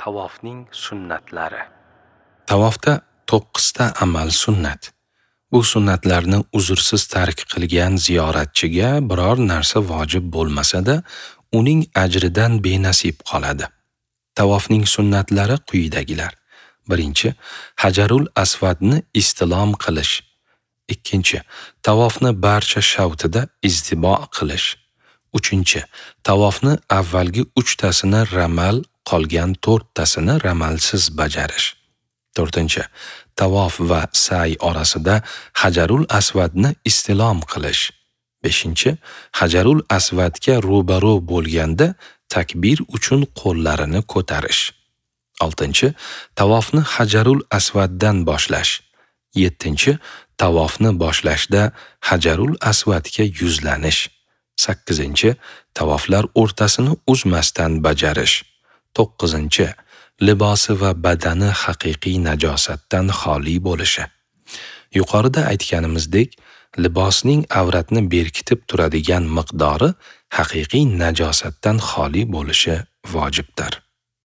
Tavofning sunnatlari. Tavofda 9 ta amal sunnat. Bu sunnatlarni uzrsiz tark qilgan ziyoratchiga biror narsa vojib bo'lmasa-da, uning ajridan benasib qoladi. Tavofning sunnatlari quyidagilar. 1. Hajarul Asvadni istilom qilish. 2. Tavofni barcha shavtida iztibo qilish. 3. Tavofni avvalgi 3 tasini ramal, qolgan 4 tasini ramalsiz bajarish. 4. Tavof va sa'y orasida Hajarul Asvadni istilom qilish. 5. Hajarul Asvadga ro'baro bo'lganda takbir uchun qo'llarini ko'tarish. 6. Tavofni Hajarul Asvaddan boshlash. 7. Tavofni boshlashda Hajarul Asvadga yuzlanish. 8. Tavoflar o'rtasini uzmasdan bajarish. 9. Libosi va badani haqiqiy najosatdan xoli bo'lishi. Yuqorida aytganimizdek, libosning avratni berkitib turadigan miqdori haqiqiy najosatdan xoli bo'lishi vojibdir.